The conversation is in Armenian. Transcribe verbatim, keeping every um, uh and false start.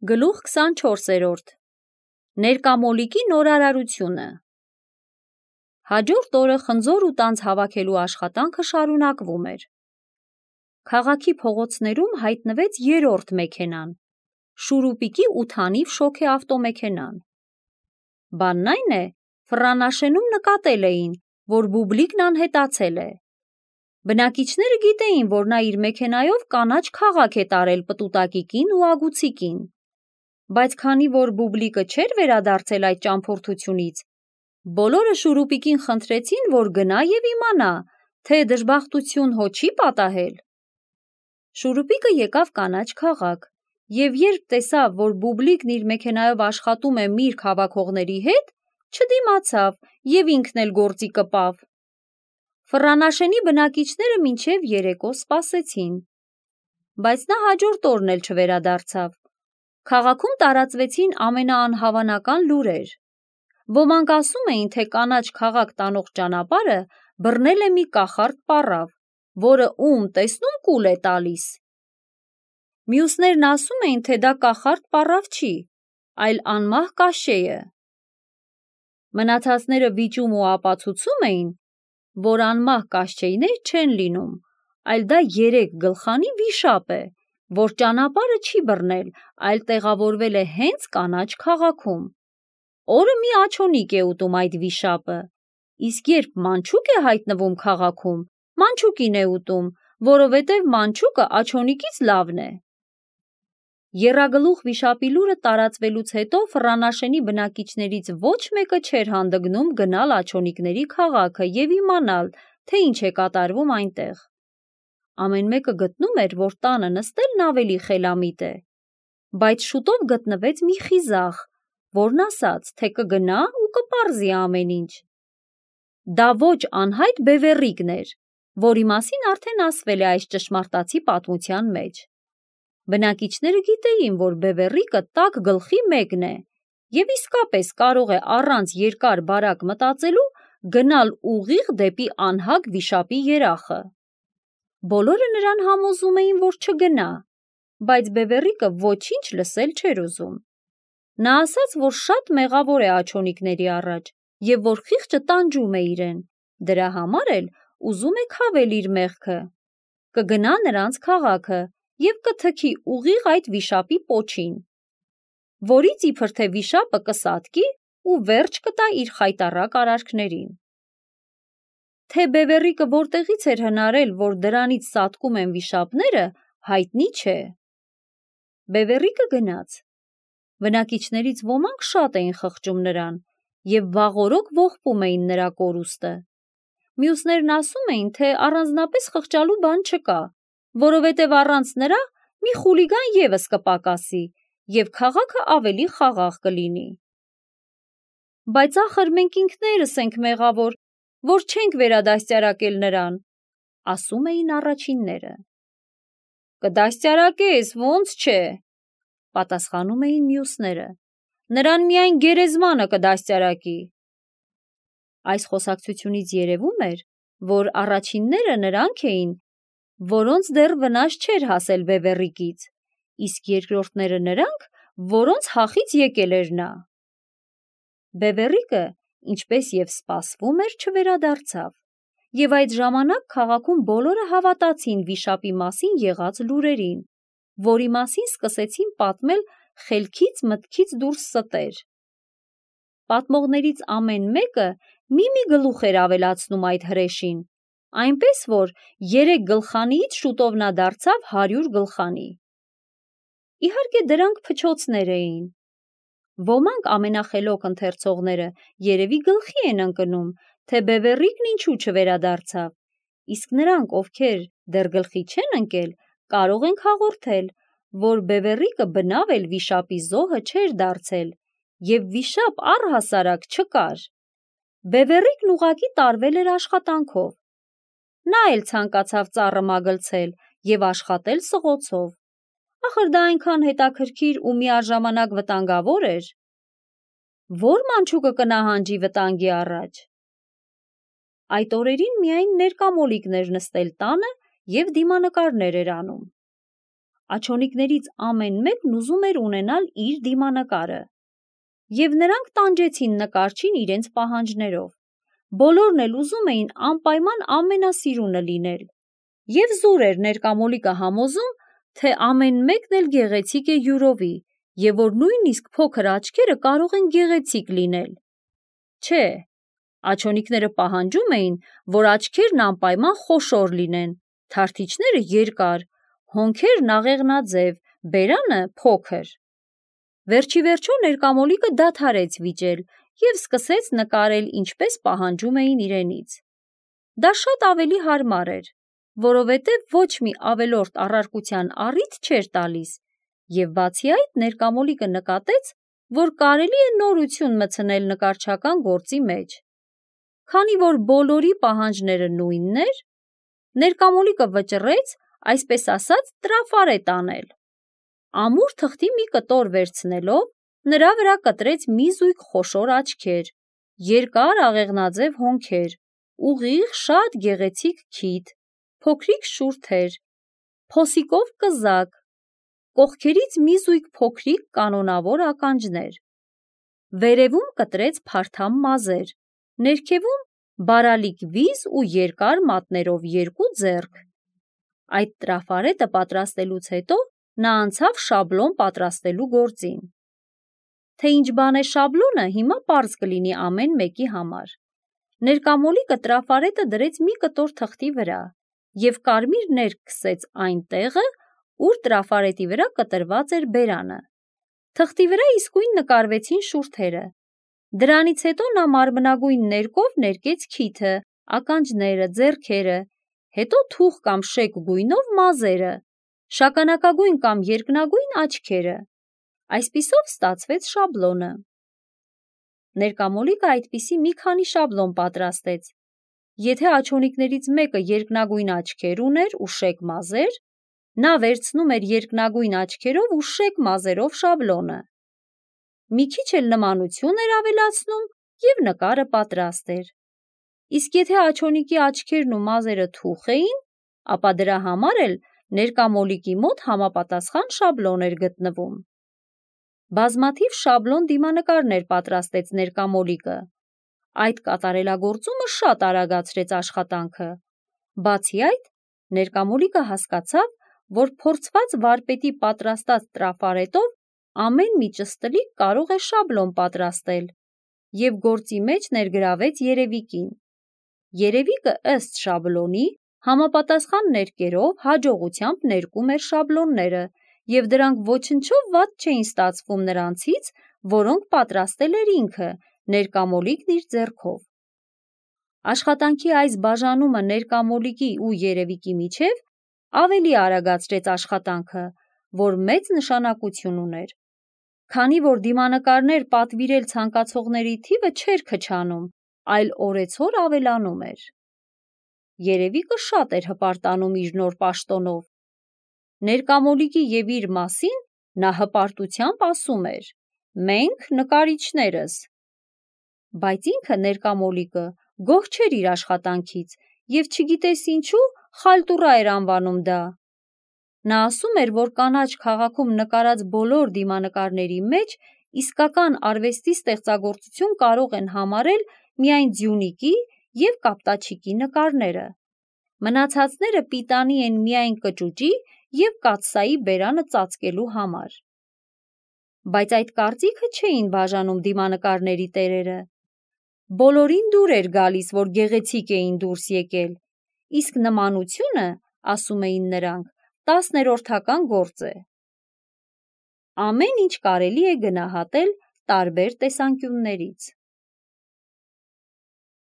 Գլուխ քսանչորսերորդ Ներկամոլիկի նորարարությունը Հաջորդ օրը խնձոր ու տանձ հավաքելու աշխատանքը շարունակվում էր։ Քաղաքի փողոցներում հայտնվեց երրորդ մեքենան, Շուրուպիկի ութանիվ շոգե ավտոմեքենան։ Բանն այն է, Ֆռանաշենում նկատել էին, որ Բուբլիկն անհետացել է։ Բնակիչները գիտեին, որ նա իր մեքենայով կանաչ քաղաք է տարել պտուտակիկին ու ագուցիկին։ Բայց քանի որ Բուբլիկը չէր վերադարձել այդ ճամփորդությունից, բոլորը Շուրուպիկին խնդրեցին, որ գնա և իմանա, թե դժբախտություն հո չի պատահել։ Շուրուպիկը եկավ կանաչ քաղաք, և երբ տեսավ, որ Բուբլիկն իր մեքենայով աշխատում է միրգ հավաքողների հետ, չդիմացավ և ինքն էլ գործի կպավ։ Ֆռանաշենի բնակիչները մինչև երեկո սպասեցին, բայց նա հաջորդ օրն էլ չվերադարձավ։ Քաղաքում տարածվեցին ամենաանհավանական լուրեր։ Ոմանք ասում էին, թե կանաչ քաղաք տանող ճանապարհը բռնել է մի կախարդ պառավ, որը ում տեսնում կուլ է տալիս։ Մյուսներն ասում էին, թե դա կախարդ պառավ չի, այլ անմահ կաշեյը։ Մնացածները վիճում ու ապացուցում էին, որ անմահ կաշեյներ չեն լինում, այլ դա երեք գլխանի վիշապ է, որ ճանապարհը չի բռնել, այլ տեղավորվել է հենց կանաչ քաղաքում։ Օրը մի աջոնիկ է ուտում այդ վիշապը, իսկ երբ մանչուկ է հայտնվում քաղաքում, մանչուկին է ուտում, որովհետև մանչուկը աջոնիկից լավն է։ Եռագլուխ վիշապի լուրը տարածվելուց հետո Ֆռանաշենի բնակիչներից ոչ մեկը չէր հանդգնում գնալ աջոնիկների քաղաքը և իմանալ, թե ինչ է կատարվում այնտեղ։ Ամեն մեկը գտնում էր, որ տանը նստելն ավելի խելամիտ է, բայց շուտով գտնվեց մի խիզախ, որն ասաց, թե կգնա ու կպարզի ամեն ինչ։ Դա ոչ անհայտ Բևեռիկն էր, որի մասին արդեն ասվել է այս ճշմարտացի պատմության մեջ։ Բնակիչները գիտեին, որ Բևեռիկը տաք գլխի մեկն է և իսկապես կարող է առանց երկար բարակ մտածելու գնալ ուղիղ դեպի անհագ վիշապի երախը։ Բոլորը նրան համոզում էին, որ չգնա, բայց Բևեռիկը ոչինչ լսել չէր ուզում։ Նա ասաց, որ շատ մեղավոր է աջոնիկների առաջ և որ խիղճը տանջում է իրեն, դրա համար էլ ուզում է քավել իր մեղքը։ Կգնա նրանց քաղաքը և կթքի ուղիղ այդ վիշապի պոչին, որից իբր թե վիշապը կսատկի ու վերջ կտա իր խայտառակ արարքներին։ Թե Բևեռիկը որտեղից էր հնարել, որ դրանից սատկում են վիշապները, հայտնի չէ։ Բևեռիկը գնաց։ Բնակիչներից ոմանք շատ էին խղճում նրան և վաղօրոք ողբում էին նրա կորուստը։ Մյուսներն ասում էին, թե առանձնապես խղճալու բան չկա, որովհետև առանց նրա մի խուլիգան ևս կպակասի և քաղաքը ավելի խաղաղ կլինի։ Բայց ախր մենք ինքներս ենք մեղավոր, որ չենք վերադաստիարակել նրան, ասում էին առաջինները։ Կդաստիարակես, ո՞նց չէ, պատասխանում էին մյուսները, նրան միայն գերեզմանը կդաստիարակի։ Այս խոսակցությունից երևում էր, որ առաջինները նրանք էին, որոնց դեռ վնաս չէր հասել Բևեռիկից, իսկ երկրորդները նրանք, որոնց հախից եկել էր նա։ Բևեռիկը, ինչպես և սպասվում էր, չվերադարձավ, և այդ ժամանակ քաղաքում բոլորը հավատացին վիշապի մասին եղած լուրերին, որի մասին սկսեցին պատմել խելքից մտքից դուրս ստեր։ Պատմողներից ամեն մեկը մի-մի գլուխ էր ավելացնում այդ հրեշին, այնպես որ երեք գլխանիից շուտով նա դարձավ հարյուր գլխանի։ Իհարկե դրանք փչոցներ էին։ Ոմանք ամենախելոք ընթերցողները երևի գլխի են ընկնում, թե Բևեռիկն ինչու չվերադարձավ, իսկ նրանք, ովքեր դեռ գլխի չեն ընկել, կարող ենք հաղորդել, որ Բևեռիկը բնավ էլ վիշապի զոհը չէր դարձել և վիշապ առհասարակ չկար։ Բևեռիկն ուղղակի տարվել էր աշխատանքով։ Նա էլ ցանկացավ ծառը մագլցել և աշխատել սղոցով։ Ախր դա այնքան հետաքրքիր ու միաժամանակ վտանգավոր էր։ Ո՞ր մանչուկը կնահանջի վտանգի առաջ։ Այդ օրերին միայն ներկամոլիկն էր նստել տանը և դիմանկարներ էր անում։ աջոնիկներից ամեն մեկն ուզում էր ունենալ իր դիմանկարը։ Եվ նրանք տանջեցին նկարչին իրենց պահանջներով։ Բոլորն էլ ուզում էին անպայման ամենասիրունը լինել։ Եվ զուր էր ներկամոլիկը համոզում, թե ամեն մեկն էլ գեղեցիկ է յուրովի, եւ որ նույնիսկ փոքր աչքերը կարող են գեղեցիկ լինել։ Չէ, աջոնիկները պահանջում էին, որ աչքերն անպայման խոշոր լինեն, թարթիչները երկար, հոնքերն աղեղնաձև, բերանը փոքր։ Վերջի վերջո ներկամոլիկը դադարեց վիճել և սկսեց նկարել ինչպես պահանջում էին իրենից։ Դա շատ ավելի հարմար էր, որովհետև ոչ մի ավելորդ առարկության առիթ չէր տալիս, և բացի այդ ներկամոլիկը նկատեց, որ կարելի է նորություն մտցնել նկարչական գործի մեջ։ Քանի որ բոլորի պահանջները նույնն էր, ներկամոլիկը վճռեց, այսպես ասած, տրաֆարետ անել։ Ամուր թղթի մի կտոր վերցնելով, նրա վրա կտրեց մի զույգ խոշոր աչքեր, երկար աղեղնաձև հոնքեր, ուղիղ շատ գեղեցիկ քիթ, փոքրիկ շուրթեր, փոսիկով կզակ, կողքերից մի զույգ փոքրիկ կանոնավոր ականջներ։ Վերևում կտրեց փարթամ մազեր, ներքևում բարալիկ վիզ ու երկար մատներով երկու ձեռք։ Այդ տրաֆարետը պատրաստելուց հետո նա անցավ շաբլոն պատրաստելու գործին։ Թե ինչ բան է շաբլոնը, հիմա պարզ կլինի ամեն մեկի համար։ Ներկամոլիկը տրաֆարետը դրեց մի կտոր թղթի վրա և կարմիր ներք քսեց այն տեղը, ուր տրաֆարետի վրա կտրված էր բերանը։ Թղթի վրա իսկույն նկարվեցին շուրթերը։ Դրանից հետո նա մարմնագույն ներկով ներկեց քիթը, ականջները, ձեռքերը, հետո թուխ կամ շեկ գույնով մազերը, շագանակագույն կամ երկնագույն աչքերը։ Այսպիսով ստացվեց շաբլոնը։ Ներկամոլիկը այդպիսի մի քանի շաբլոն պատրաստեց։ Եթե աջոնիկներից մեկը երկնագույն աչքեր ուներ ու շեկ մազեր, նա վերցնում էր երկնագույն աչքերով ու շեկ մազերով շաբլոնը։ Մի քիչ էլ նմանություն էր ավելացնում և նկարը պատրաստ էր։ Իսկ եթե աջոնիկի աչքերն ու մազերը թուխ էին, ապա դրա համար էլ ներկամոլիկի մոտ համապատասխան շաբլոն էր գտնվում։ Բազմաթիվ շաբլոն դիմանկարներ պատրաստեց ներկամոլիկը։ Այդ կատարելագործումը շատ արագացրեց աշխատանքը։ Բացի այդ, ներկամոլիկը հասկացավ, որ փորձված վարպետի պատրաստած տրաֆարետով ամեն մի ճստլիկ կարող է շաբլոն պատրաստել և գործի մեջ ներգրավեց երևիկին։ Երևիկը ըստ շաբլոնի համապատասխան ներկերով հաջողությամբ ներկում էր շաբլոնները և դրանք ոչնչով վատ չէին ստացվում նրանցից, որոնք պատրաստել էր ինքը, ներկամոլիկն իր ձեռքով։ Աշխատանքի այս բաժանումը ներկամոլիկի ու երևիկի միջև ավելի արագացրեց աշխատանքը, որ մեծ նշանակություն ուներ։ Քանի որ դիմանկարներ պատվիրել ցանկացողների թիվը չէր քչանում, այլ օրեցօր ավելանում էր։ Երևիկը շատ էր հպարտանում իր նոր պաշտոնով։ Ներկամոլիկի և իր մասին նա հպարտությամբ ասում էր. «Մենք նկարիչներս»։ Բայց ինքը ներկամոլիկը գոհ չէր իր աշխատանքից և չգիտես ինչու խալտուռա էր անվանում դա։ Նա ասում էր, որ կանաչ քաղաքում նկարած բոլոր դիմանկարների մեջ իսկական արվեստի ստեղծագործություն կարող են համարել միայն Ձյունիկի և Կապտաչիկի նկարները։ Մնացածները պիտանի են միայն կճուճի և կաթսայի բերանը ծածկելու համար։ Բայց այդ կարծիքը չէին բաժանում դիմանկարների տերերը։ Բոլորին դուր էր գալիս, որ գեղեցիկ էին դուրս եկել, իսկ նմանությունը, ասում էին նրանք, տասներորդական գործ է։ Ամեն ինչ կարելի է գնահատել տարբեր տեսանկյուններից։